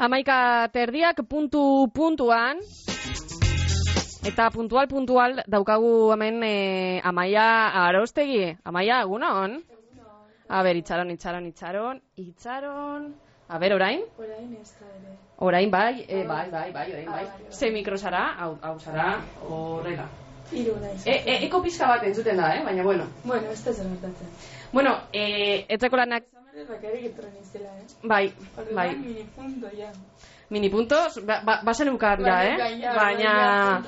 11:30 puntuan. Eta puntual daukagu hemen Amaia Arostegi. Amaia, egunon? A ber, itxaron. A ber, orain? Orain ez da ere. Orain, bai, orain bai. Ze mikro zara, hau zara, horrela. Hiru naiz. Eko pizka bat entzuten da, baina bueno. Bueno, ez da zer gertatzen. Bueno, etzeko lanak... Bakarrik etorren izela, Bai. Mini punto, ja. Mini puntos, basen ukar ja, baina...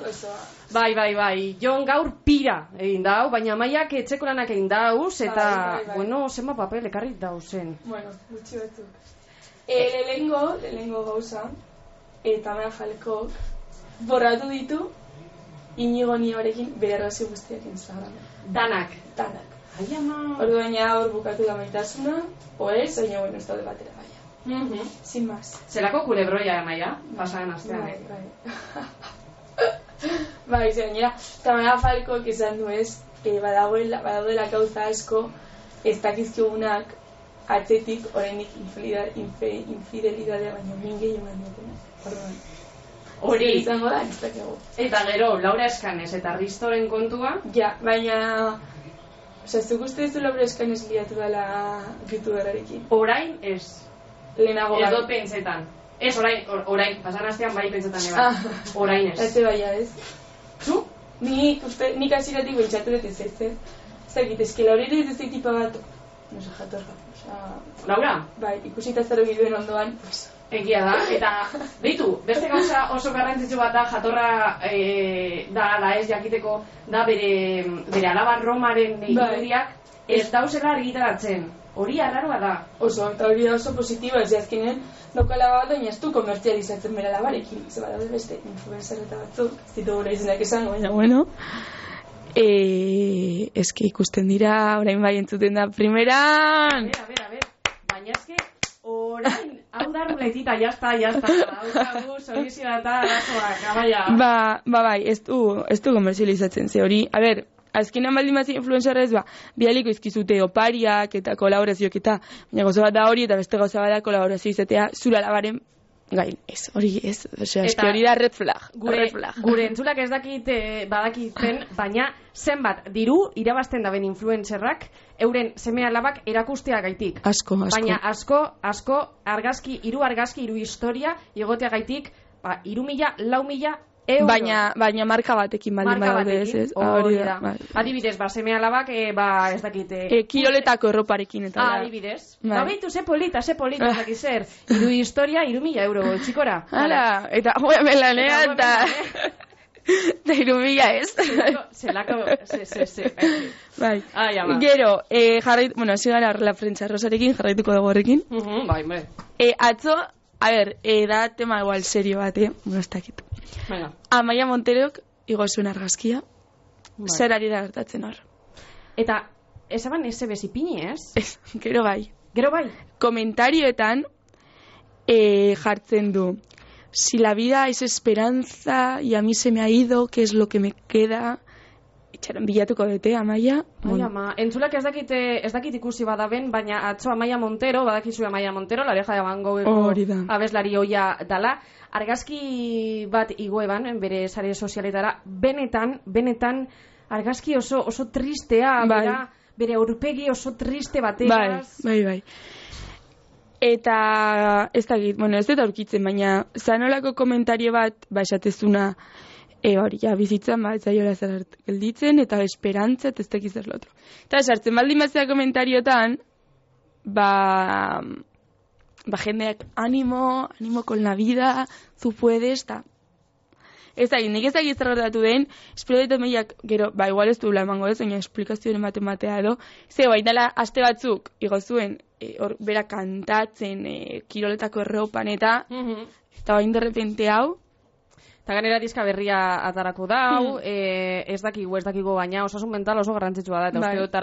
Bai. Jon gaur pira egin dau, baina Amaiak etxeko lanak egin dauz, eta, bueno, zenba papel ekarrik dauzen. Bueno, gutxi batzuk. Lehengo gauza, eta Amaia Jalekok borratu ditu Inigo Nibarekin bere errazio guztiak Instagramen. Danak. Ai, ama. Ordu baina hor bukatu da maitasuna, ez, baina, bueno, ez daude batera baina. Sin más. Zelako kulebroia, Amaia, pasagan astean. Bai, gainera, eta Amaia Jalekok esan du ez, badagoela gauza asko ez dakizkigunak atzetik oraindik infidelidadea baino mingei eman dutena. Hori izango da, ez dakigu. Eta gero, Laura Escanes eta Ristoren kontua? Ja, baina... zuk uste ez du Laura Escanes liatu dela youtuberarekin? Orain ez. Lehenago bai. Edo pentsetan. Ez, orain, pasan astean bai pentsetan eba. Orain ez. Ez baia ez. Zu? Nik asiratik bentsatu dut ez. Zagit, eski Laura ez tipa bat... no se jatorra. Laura? Bai, ikusita zero giluen ondoan, pues... Egia da, eta beitu, beste gauza oso garrantzitsu bat da, jatorra da ala ez jakiteko, da bere alaba Romaren irudiak ez dauzela argitaratzen. Hori arraroa da. Oso, eta hori da oso positiba, ez azkenen daukala bat, baina ez du komertzializatzen bere alabarekin. Ez badaude beste influencer eta batzuk, ez ditu gure izenak esango, baina bueno. Eske ikusten dira, orain bai entzuten da primeran. A ver, baina eske orain, hau da ruletita, jazta, hau solizioa eta arazoak, Amaia. Bai, ez du komerzializatzen, ze hori, a ber, azkenan baldin bat influencerra ez bialiko izkizute opariak eta kolaborazioak eta, baina gauza bat da hori eta beste gauza bat da kolaborazio izatea zura labaren gain, ez, hori ez, eski hori da red flag. Gure entzulak ez badakiten, baina zenbat diru irabazten daben influencerrak euren seme alabak erakustea gaitik. Asko. Baina asko, argazki, hiru historia, igotea gaitik, 3.000, 4.000 euro. Baina marka batekin baldin badaude ez. Hori da. Adibidez, seme alabak, ez dakite. Kiroletako erroparekin eta da. Adibidez. Beitu, ze polita, ez dakit zer. Hiru historia, 3.000 euro, txikora. Hala, eta joa melanea eta... Da 3.000 ez. Zelako, Bai. Gero, hasi gara la prentsa rosarekin, jarraituko dago horrekin. Bai, atzo, a ber, da tema igual serio bat, ez dakit. Amaia Monterok igo zuen argazkia. Zer ari da gertatzen hor. Eta, esaban eze bezipini, ez? Gero bai. Komentarioetan jartzen du. Si la vida es esperanza y a mí se me ha ido, ¿qué es lo que me queda? Itxaron bilatuko dute, Amaia. Entzulak ez dakit ikusi badaben, baina atzo Amaia Montero, badakizu Amaia Montero, la oreja de Van Gogheko abeslari oia dala, argazki bat igoeban, bere sare sozialetara, benetan, argazki oso tristea, bere aurpegi oso triste bategaz. Bai. Eta, ez dakit, ez dut aurkitzen, baina zanolako komentario bat, esatezuna, hori, bizitzan, ez zaiola zer gelditzen, eta esperantza, ez dakiz zer lotro. Eta sartzen baldin batzea komentariotan, jendeak, animo con la vida, zu puedes, eta ez dakit, nik ez dakit zer gertatu den, espero dut meiak, gero, igual ez du emango ez, baina esplikazioen matea edo, ze baitala, aste batzuk, igo zuen, bera kantatzen, kiroletako erropan eta bain derrepente hau. Eta ganera diska berria atarako dau, ez dakigu baina osasun mental oso garrantzitsua da, eta uste dut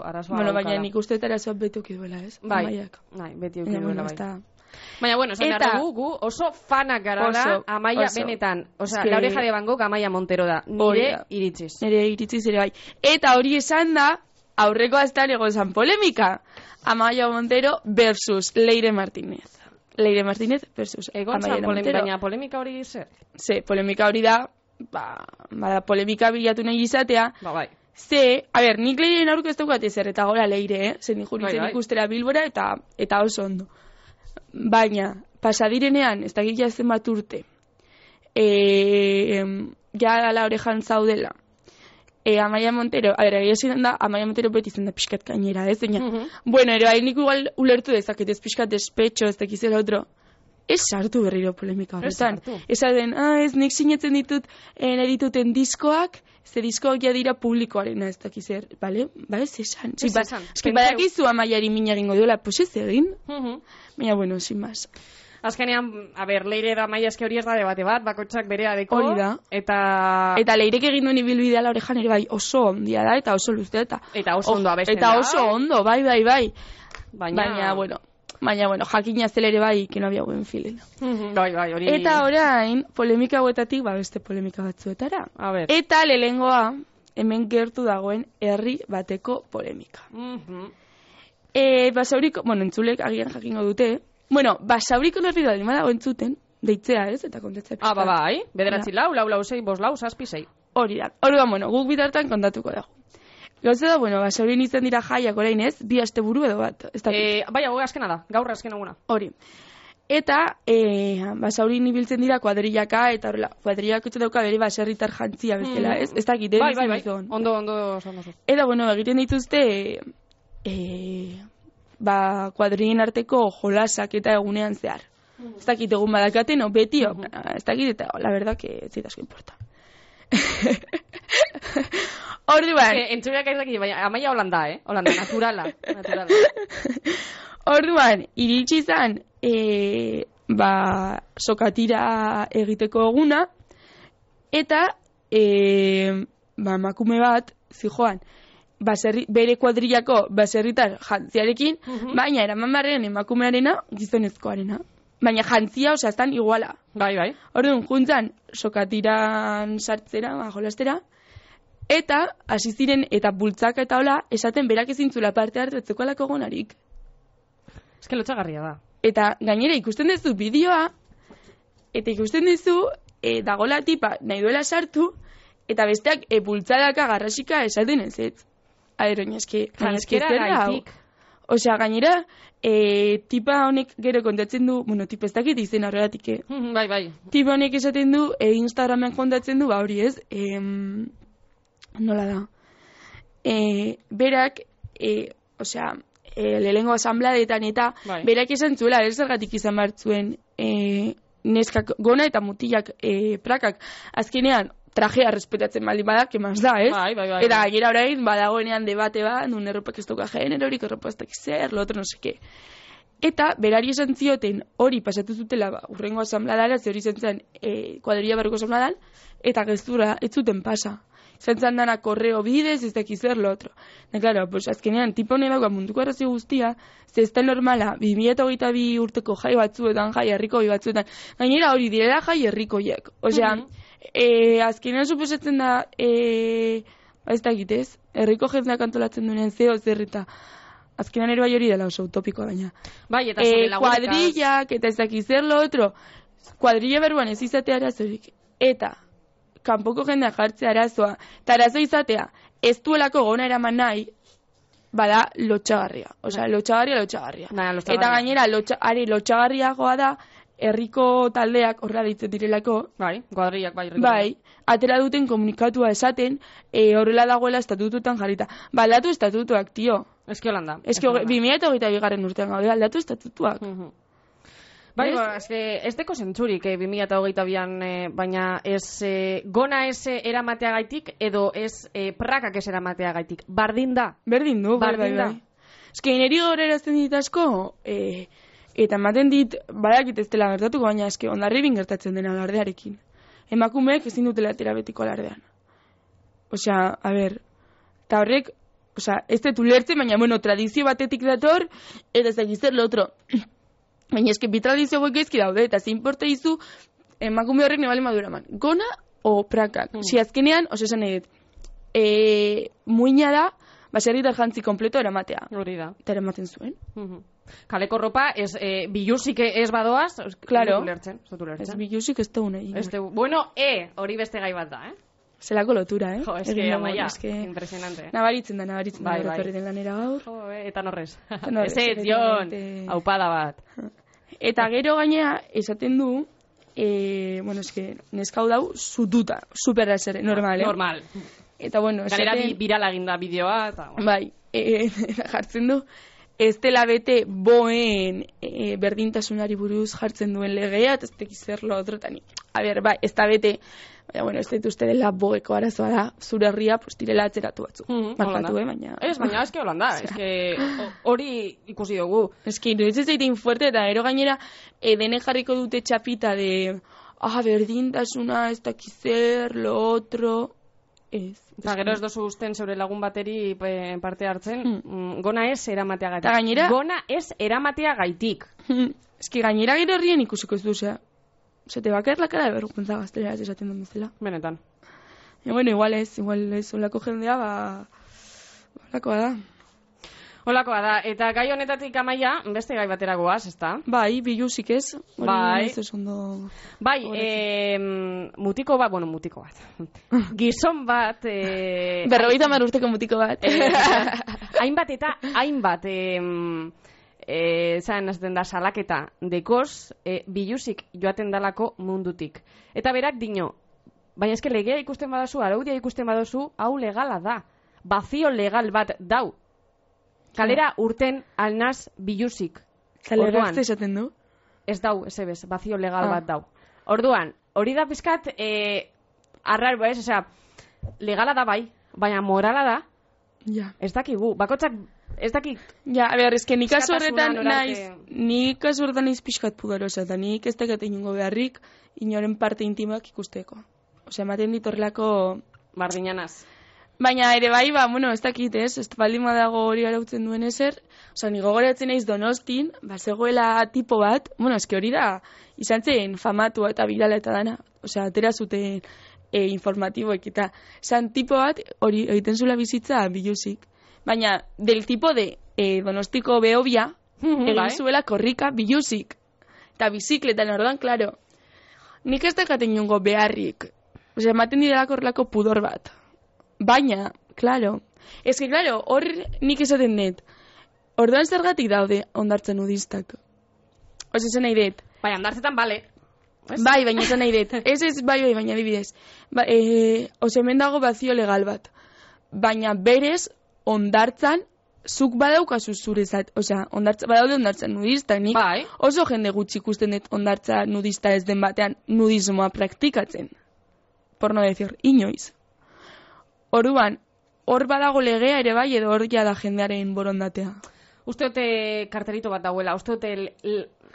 arazoa baina nik uste dut arazoa beti uki duela, ez? Bai, beti uki duela, bai. Baina, esan behar dugu, oso fanak gara da, Amaia benetan. Osa, la oreja de Van Gogh Amaia Montero da, nire iritziz. Nire iritziz ere bai. Eta hori esan da, aurreko astean egon zan polemika. Amaia Montero versus Leire Martínez. Leire Martínez versus Amaia Montero. Baina polemika hori zer? Polemika hori da, polemika bilatu nahi izatea. Bai. Nik Leiren aurko ez daukat ezer, eta gora Leire, zen juritzen ikustera Bilbora, eta oso ondo. Baina, pasadirenean, ez dakit jazen bat urte, ja ala orejan zaudela, Amaia Montero, egia zen da, Amaia Montero beti zen da pixkat gainera, ez? Bueno, ere, nik igual ulertu dezaket, ez pixkat despetxo, ez dakizela otro. Ez sartu berriro polemika horretan. Ez den, ez nik sinetzen ditut, nahi dituten diskoak, ze diskoak ja dira publikoarena, ez dakizer, bale? Ba ez esan. Ez badakizu Amaiari mina egingo duela, pues ez egin. Baina, bueno, sin más. Azkenean, Leire da Amaia eske hori ez da debate bat, bakotxak berea deko. Hori da. Eta Leirek egin duen ibilbidea la orejan ere bai oso ondia da, eta oso luztea. Eta oso ondo abesten da. Eta oso ondo, bai. Baina, bueno, jakina zelere bai, que no había buen feeling. Bai, hori. Eta orain, polemika hauetatik, beste polemika batzuetara. Eta lehengoa, hemen gertu dagoen herri bateko polemika. Basauriko, entzulek agian jakingo dute, Basauriko herri da dago entzuten, deitzea ez, eta kontatzea pixka. Bai, 9 4 4 6 5 4 7 6. Hori da, guk bitartan kontatuko dago. Gauza da, Basaurin izan dira jaiak orain ez, 2 asteburu edo bat. Bai, hau azkena da, gaur azken eguna. Hori. Eta, Basaurin ibiltzen dira kuadrillaka, eta horrela, kuadrillak utzu dauka bere baserritar jantzia bezala, ez? Ez dakit, bai, ondo. Eta, egiten dituzte, kuadrillin arteko jolasak eta egunean zehar. Ez dakit, egun badakaten, beti, ez dakit, eta la verdad que ez zitazko importa. Orduan entzuleak ez dakit, baina Amaia Holanda, Holanda, naturala. Orduan, iritsi izan sokatira egiteko eguna, eta emakume bat zijoan bere kuadrillako baserritar jantziarekin, baina eraman barrean emakumearena gizonezkoarena. Baina jantzia, estan iguala. Bai. Orduan, juntzan sokatiran sartzera, jolastera, eta hasi ziren eta bultzaka eta hola, esaten berak ezintzula parte hartu etzeko alako gonarik. Ez que lotxagarria da. Eta gainera ikusten duzu bideoa, eta ikusten duzu dagola tipa nahi duela sartu, eta besteak bultzadaka garrasika esaten ez ez. Aeroin, eski zerra hau. Osea, gainera, tipa honek gero kontatzen du, tipa ez dakit izen horregatik, Bai. Tipa honek esaten du, Instagramen kontatzen du, hori ez, nola da. Berak, lehengo asambladetan eta berak esan zuela, zergatik izan bartzuen neskak gona eta mutilak prakak. Azkenean, trajea respetatzen baldin badak, kemaz da, ez? Bai. Eta gainera orain, badagoenean debate bat, nun erropak ez duka generorik, erropak ez dakik zer, lo otro no seke. Eta berari esan zioten hori pasatu zutela urrengo asambladara, ze hori zentzen kuadrilla barruko asambladan, eta gezurra ez zuten pasa. Zentzen dana korreo bidez, ez dakiz zer, lo otro. Claro, pues azkenean, tipo hone dauka munduko arrazio guztia, ze ez da normala, 2022 urteko jai batzuetan, jai herriko batzuetan, gainera hori direla jai herrikoiek. Osea, azkenean suposatzen da, ez da egitez, herriko jendeak antolatzen duenen zeo zerrita. Azkenean ere bai hori dela oso utopikoa baina. Bai, eta sobre lagunetas. Kuadrillak, eta ez dakiz zer lo otro, kuadrilla berruan ez izatea arazorik. Eta, kanpoko jendea jartzea arazoa, eta arazo izatea, ez duelako gona eraman nahi, bada lotxagarria. Osea, lotxagarria. Eta gainera, lotxagarriagoa da, herriko taldeak horra ditzen direlako. Bai, kuadrillak bai. Bai, atera duten komunikatua esaten, horrela dagoela estatututan jarrita. Aldatu estatutuak, tio. Eski Holanda. Eski 2022 urtean gaude, aldatu estatutuak. Bai, ez deko zentzurik 2022an, baina ez gona ez eramateagaitik edo ez prakak ez eramateagaitik. Bardin da. Berdin du, bai. Eski, niri gorerazten dit asko, eta ematen dit, badakit ez dela gertatuko, baina eski ondarribin gertatzen dena alardearekin. Emakumeek ezin dutela terabetiko alardean. Osea, eta horrek, ez dut ulertzen, baina, tradizio batetik dator, eta ez dakizer lo otro. Baina eski bi tradizio goik ezki daude, eta ze importa izu, emakume horrek nebali madura man. Gona o prakak. Si azkenean, esan nahi dut, muina da, baserritar jantzi kompleto eramatea. Hori da. Eta eramaten zuen. Kaleko ropa, bilusik ez badoaz, claro. Ez bilusik ez dugu nahi. Bueno, hori beste gai bat da, Zelako lotura, Jo, eske, amaia, impresionante. Nabaritzen da, etorri den lanera gaur. Jo, eta norrez. Ez, Jon, aupada bat. Eta gero gainea, esaten du, eske, neskau dau, zututa, superra zer, normal, Normal. Eta, Galera birala eginda bideoa, eta... Bai, jartzen du, ez dela bete boen berdintasunari buruz jartzen duen legea, eta ez tekizer lo otrotani. A ber, bai, ez da bete... Baina, ez dut uste dela boeko arazoa da, zure herria direla atzeratu batzu. Markatu, baina... Ez, baina, eske Holanda, eske hori ikusi dugu. Eske, iruditzen zeitin fuerte, eta gero gainera, dene jarriko dute txapita de, berdintasuna, ez dakizer, lo otro... Ez. Eta gero ez dozu usten zeure lagun bateri parte hartzen, gona ez eramateagatik. Eta gainera... Gona ez eramateagaitik. Eske, gainera gero herrien ikusiko ez duzea. Zete bakar la cara de vergüenza gaztelera esaten duen bezala. Benetan. Igual ez, olako jendea, olakoa da. Olakoa da, eta gai honetatik Amaia, beste gai batera goaz, ezta? Bai, bilusik ez. Bai. Bai, mutiko bat. Gizon bat... 50 urteko mutiko bat. Hainbat, zan azten da salaketa dekoz, bilusik joaten dalako mundutik. Eta berak dino, baina eske legea ikusten badozu, araudia ikusten badozu, hau legala da. Bazio legal bat dau. Kalera urten alnaz bilusik. Kalera esaten du? Ez dau, ez ebez, bazio legal bat dau. Orduan, hori da pizkat, arraro ez, legala da bai, baina morala da, ez dakigu, bakotxak ez dakik. Ja, a ber, eske nik kasu horretan naiz pixkat pudorosa, eta nik ez dakit inungo beharrik inoren parte intimak ikusteko. Osea, ematen ditorrelako... Bardinanaz. Baina ere bai, ez dakit ez baldin dago hori arautzen duen ezer, osea, niko goratzen naiz Donostin, zegoela tipo bat, eske hori da, izan zen famatua eta birala eta dana, osea, atera zuten informatiboek eta, zan tipo bat, hori egiten zula bizitza bilusik. Baina, del tipo de Donostiko behobia, egin zuela korrika bilusik. Eta bizikletan orduan, klaro. Nik ez dakaten inungo beharrik. Osea, ematen direlako horrelako pudor bat. Baina, klaro. Ez que, klaro, hor nik esaten dut. Orduan zergatik daude ondartzen nudistak. Osea, esan nahi dut. Bai, ondartzetan, bale. Bai, baina esan nahi dut. Ez, bai, baina adibidez. Osea, hemen dago bazio legal bat. Baina berez, ondartzan, zuk badaukazu zurezat, osea, badaude ondartzan nudista, nik oso jende gutxi ikusten dut ondartza nudista ez den batean nudismoa praktikatzen. Por no decir, inoiz. Orduan, hor badago legea ere bai, edo hor da jendearen borondatea. Uste dute kartelito bat dauela, uste dute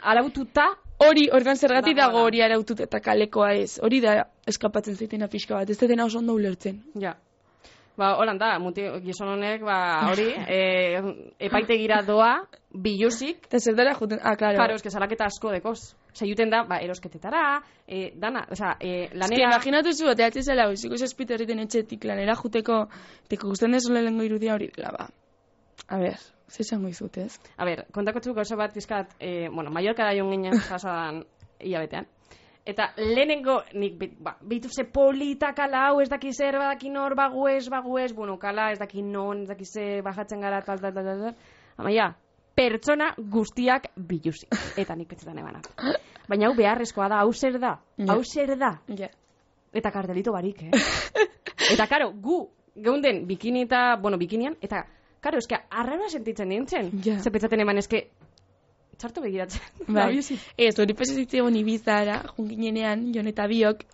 araututa... Hori, orduan zergatik dago hori araututa eta kalekoa ez. Hori da eskapatzen zaitena pixka bat, ez dena oso ondo ulertzen. Ja. Holan da, gizon honek, hori, epaitegira doa, bilusik. Eta zer dara juten, klaro. Claro, eske salaketa asko dekoz. Juten da, erosketetara, dana, lanera... Eske, imaginatu zu, teatzen zela, iziko zazpite horreten etxetik lanera juteko, teko guztien dezola lehenko irudia hori dela, ba. A ber, zesango izut, ez? A ber, kontako txuko oso bat izkat, Mallorca da joan ginen jasadan hilabetean. Eta lehenengo, nik behitu ze polita kala hau, ez daki zer, badaki nor, baguez, kala, ez daki non, ez daki ze, bajatzen gara, tal. Amaia, pertsona guztiak bilusik. Eta nik petzetan ebanak. Baina hau beharrezkoa da, hau zer da. Eta kartelito barik, Eta, karo, gu, geunden bikinian, eta, karo, eske, arrara sentitzen nintzen. Ze petzaten eman, eske, txartu begiratzen. Bai, ez, hori pesazitzen Ibizara, junginenean, Jon eta biok,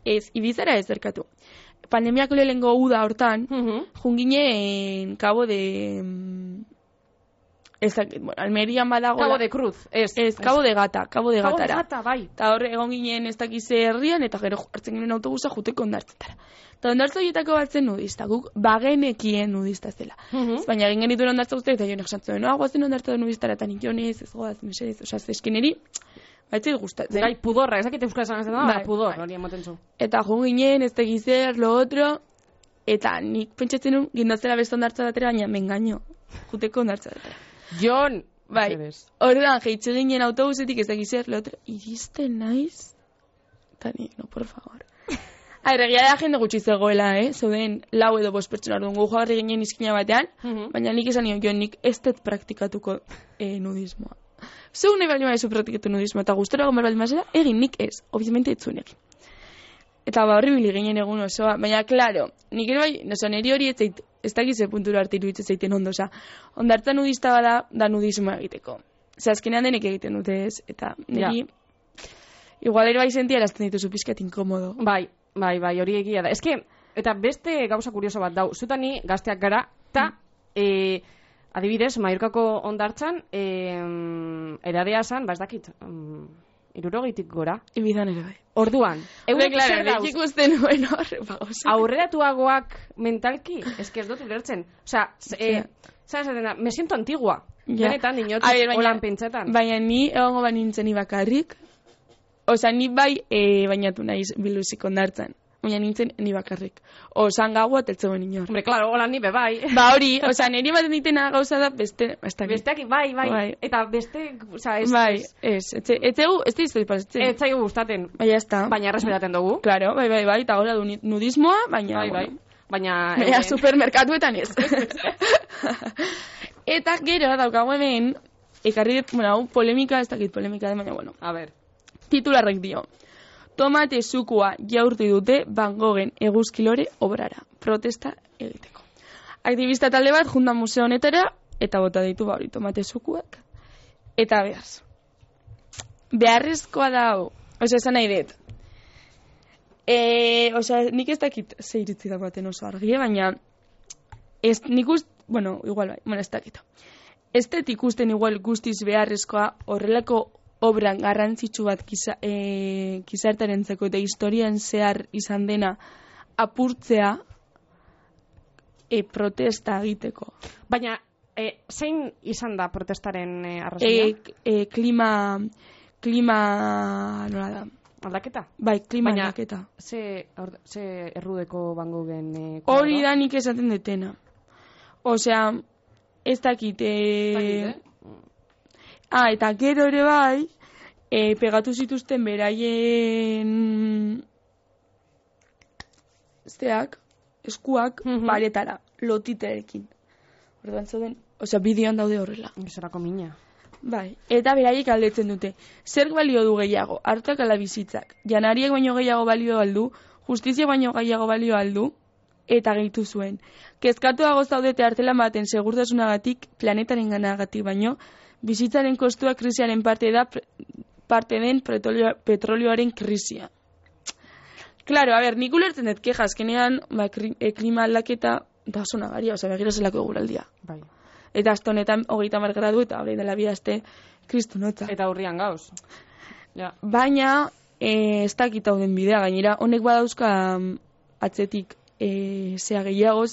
ez, Ibizara ez zerkatu. Pandemiako lehengo uda hortan, junginen Cabo de... Almerian badago... Cabo de Cruz, ez. Cabo de Gata, Cabo de Gatara. Cabo de Gata, bai. Eta horre egon ginen ez dakize herrian, eta gero hartzen ginen autobusa juteko ondartzetara. Eta ondartza horietako batzen nudista, guk bagenekien nudista zela. Baina egin genituen ondartza guztiak, eta jonek esantzen, guazen ondartza nudistara, eta nik jonez, ez goaz, mesedez, osea, eskeneri, baitzit gustatzen. Gai, pudorra, ezakit euskara esan da, pudor, hori emoten zu. Eta jo ginen, ez dakizer, lo otro, Eta nik pentsatzen nun, gindatzela beste ondartza batera, baina mengaino, juteko ondartza batera. Jon! Bai, orduan, jeitxe ginen autobusetik ez dakizer, lehotra, iristen naiz? Eta nik, no, por favor. Egia da jende gutxi zegoela, zeuden 4 edo 5 pertsona orduan gu jogarri ginen izkina batean, baina nik esan nion, nik ez dut praktikatuko nudismoa. Zeu nahi baldin maizu praktikatu nudismoa, eta gustora gomar baldin maizera, egin nik ez, obviamente etzuen egin. Eta horribili ginen egun osoa, baina, klaro, nik ere bai, neri hori ez dakize puntura arte iruditzen zaiten ondo, ondartza nudista bada, da nudismoa egiteko. Azkenean denek egiten dute ez, eta niri, igual ere bai sentia erazten dituzu pixkat inkomodo. Bai, hori egia da. Eta beste gauza kurioso bat dau, zutani gazteak gara, eta adibidez, Mallorcako ondartzan, eradea zan, ez dakit, 60 gora. Ibizan ere bai. Orduan, eurek zer dauz? Ikusten nuen hor, aurreratuagoak mentalki, ez dut ulertzen. Osea, me siento antigua. Benetan, dinotuz, holan pentsetan. Baina ni egongo banintzen bakarrik, osea, ni bai bainatu naiz biluzik ondartzan. Baina nintzen ni bakarrik. Osan gaua teltzegoen inor. Hombre, claro, hola ni bai. Ba hori, osea, niri ematen ditena gauza da beste... Besteak, bai. Eta beste, osea, ez... Bai, ez dizut pasatzen. Ez zaigu gustaten. Baina ez da. Baina respetaten dugu. Claro, bai, eta gora du nudismoa, baina... Bai. Baina... supermerkatuetan ez. Eta gero daukagu hemen, ekarri dut, polemika, ez dakit polemika da, baina, bueno. A ver. Titularrek dio. Tomate zukua jaurti dute Van Goghen eguzkilore obrara. Protesta egiteko. Aktivista talde bat junta museo honetara eta bota ditu hori tomate zukuak. Eta behaz. Beharrezkoa da hau. Osa, esan nahi dut. Nik ez dakit zeiritzi da baten oso argi, baina igual bai, ez dakit. Ez dut ikusten igual guztiz beharrezkoa horrelako obran garrantzitsu bat gizartarentzako eta historian zehar izan dena apurtzea protesta egiteko. Baina, zein izan da protestaren arrazoia? Klima nola da? Aldaketa? Bai, klima aldaketa. Ze errudeko Van Goghen hori da nik esaten detena. Osea, ez dakit... eta gero ere bai, pegatu zituzten beraien eskuak paretara, lotiterekin. Orduan zauden, bideoan daude horrela. Zerako mina. Bai, eta beraiek aldetzen dute. Zer balio du gehiago, hartak ala bizitzak. Janariek baino gehiago balio aldu, justizia baino gehiago balio aldu, eta gehitu zuen. Kezkatuago zaudete artelan baten segurtasunagatik, planetaren ganagatik baino, bizitzaren kostua krisiaren parte den petrolioaren krisia. Claro, nik ulertzen dut keja, azkenean klima aldaketa da oso nagaria, begira zelako eguraldia. Bai. Eta astonetan 30 gradu eta hori dela bidazte kristunotza. Eta urrian gauz. Ja. Baina, ez dakit hau den bidea, gainera, honek badauzka atzetik zea gehiago,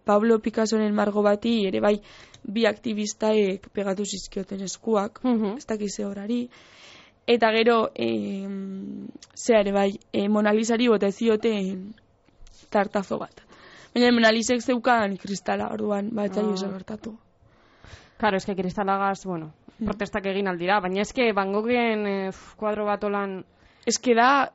Pablo Picassoren margo bati ere bai bi aktivistaek pegatu zizkioten eskuak, ez dakize horari, eta gero ere bai Mona Lisari bota zioten tartazo bat. Baina Mona Lisek zeukan kristala, orduan etzaio oso gertatu. Claro, eske kristalagaz, protestak egin aldira, baina eske Van Goghen kuadro bat olan... Eske da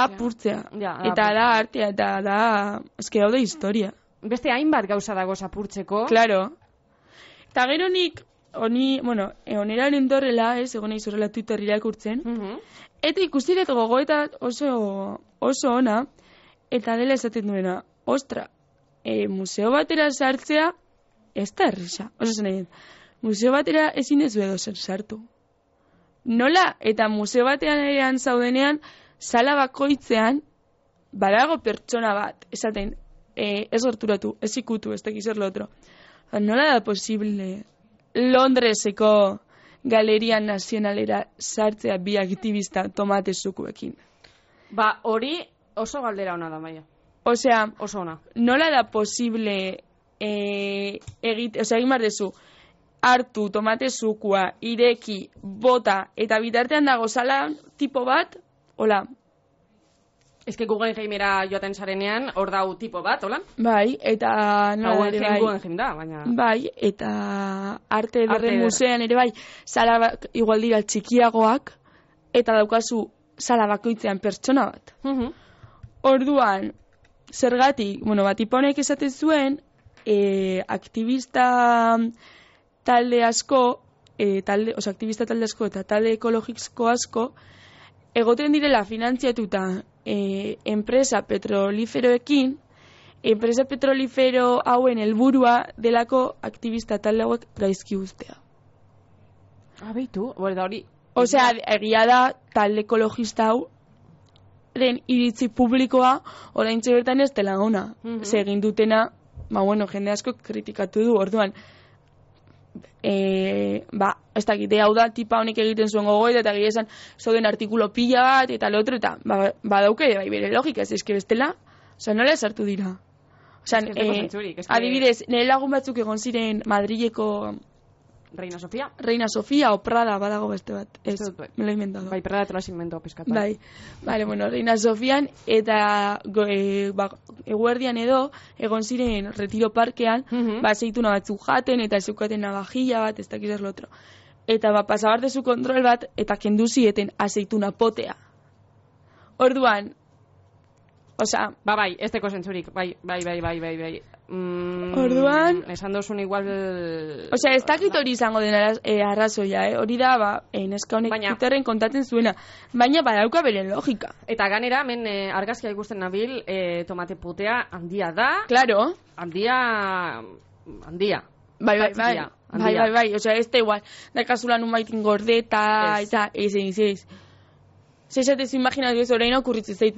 apurtzea, eta da artea, eta da, eske hau da historia. Beste hainbat gauza dago apurtzeko. Claro. Eta gero nik, oneraren entorrela, egon nahi zorrela Twitter irakurtzen, eta ikusi dut gogoeta oso ona, eta dela esaten duena, ostra, museo batera sartzea, ez da errisa. Museo batera ezin ez edo zer sartu. Nola, eta museo batean zaudenean, sala bakoitzean, badago pertsona bat, esaten, ez gerturatu, ez ikutu, ez dakiz lo otro. Nola da posible Londreseko Galeria Nazionalera sartzea bi aktivista tomate zukuekin? Hori oso galdera ona da, Maia. Osea, oso ona. Nola da posible egin bardezu, hartu tomate zukua, ireki, bota, eta bitartean dago sala tipo bat, hola, Ez que Guggenheimera joaten zarenean, hor dau tipo bat, hola? Bai, eta... Guggenheim da, baina... Bai, eta arte ederren musean ere bai, sala igual dira txikiagoak, eta daukazu sala bakoitzean pertsona bat. Orduan, zergatik, tipa honek esaten zuen, aktivista talde asko, aktivista talde asko eta talde ekologiko asko, egoten direla finantziatuta enpresa petroliferoekin, enpresa petrolifero hauen helburua delako aktivista talde hauek gaizki uztea. Beitu, da hori... Osea, egia da talde ekologista hau iritzi publikoa oraintxe bertan ez dela ona. Ze egin dutena, jende asko kritikatu du, orduan ez dakite hau da tipa honek egiten zuen gogoeta eta gira esan zauden artikulo pila bat eta lo otro eta badauke bai bere logika, ez eske bestela nola esartu dira adibidez, nire lagun batzuk egon ziren Madrileko Reina Sofia o Prada badago beste bat me lo he inventado bai, Prada te lo has inventado peskatu bai, Reina Sofian eta eguerdian edo egon ziren Retiro Parkean aceituna batzuk jaten eta zeukaten navajilla bat ez dakiz ez lotro eta pasabar de su kontrol bat eta kendu zieten aceituna potea orduan bai, ez teko zentzurik bai orduan esan dozun igual ez dakit hori izango dena arrazoia hori da neska honek Twitterren kontatzen zuena baina badauka bere logika eta ganera hemen argazkia ikusten nabil tomate putea handia da claro handia bai ez da igual da kasulan un baitin gordeta eta ez zezatez imaginatu ez orain okurritzen zait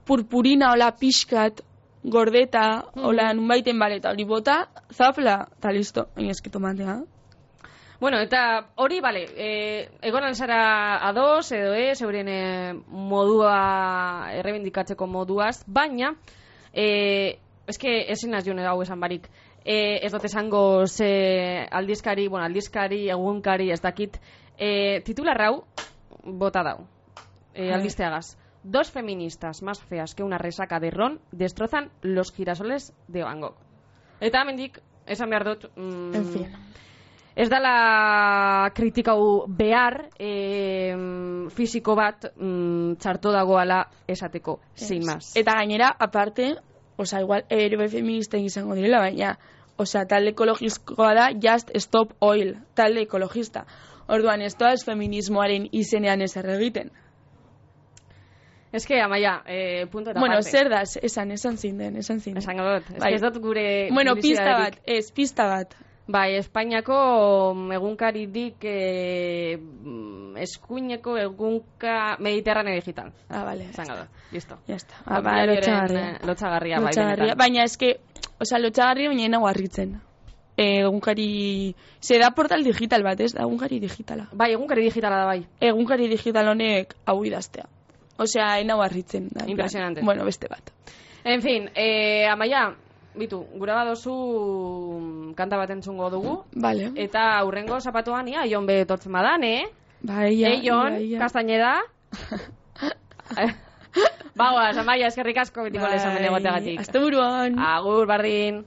purpurina hola pixkat gordeta, hola nunbaiten baleta hori bota, zapla, eta listo, eski tomatea. Bueno, eta hori, egon alzara ados, edo euren modua errebindikatzeko moduaz, baina, eske ezin az jone hau esan barik, ez dut esango ze aldizkari, egunkari, ez dakit, titular hau, bota dau, albisteagaz. 2 feministas más feas que una resaca de ron destrozan los girasoles de Van Gogh. Eta hemendik esan behar dut, en fin. Ez dala kritikau behar fisiko bat txarto dagoala esateko, sin más. Eta gainera, aparte, igual ere feministen izango direla, baina, talde ekologikoa da Just Stop Oil, talde ekologista. Orduan, ez toaz feminismoaren izenean ez erregiten. Ez que, Amaia, punto eta parte. Zer da, esan zinden. Esan dut, ez dut gure... pista bat. Bai, Espainiako egunkaridik eskuineko egunka Mediterraneo digital. Vale. Esan dut, listo. Ya está. Lotxagarria. Baina eske, lotxagarria baina nago harritzen. Egunkari... da portal digital bat, ez? Egunkari digitala. Bai, egunkari digitala da bai. Egunkari digital honek hau idaztea. Enau harritzen. Impresionante. Bueno, beste bat. En fin, Amaia, bitu, gura badozu kanta bat entzungo dugu. Vale. Eta aurrengo zapatuan ia, Ion betotzen badan, Bai, Ion, Castañeda. Amaia, eskerrik asko bitiko lezamen egoteagatik. Aste buruan. Agur, bardin.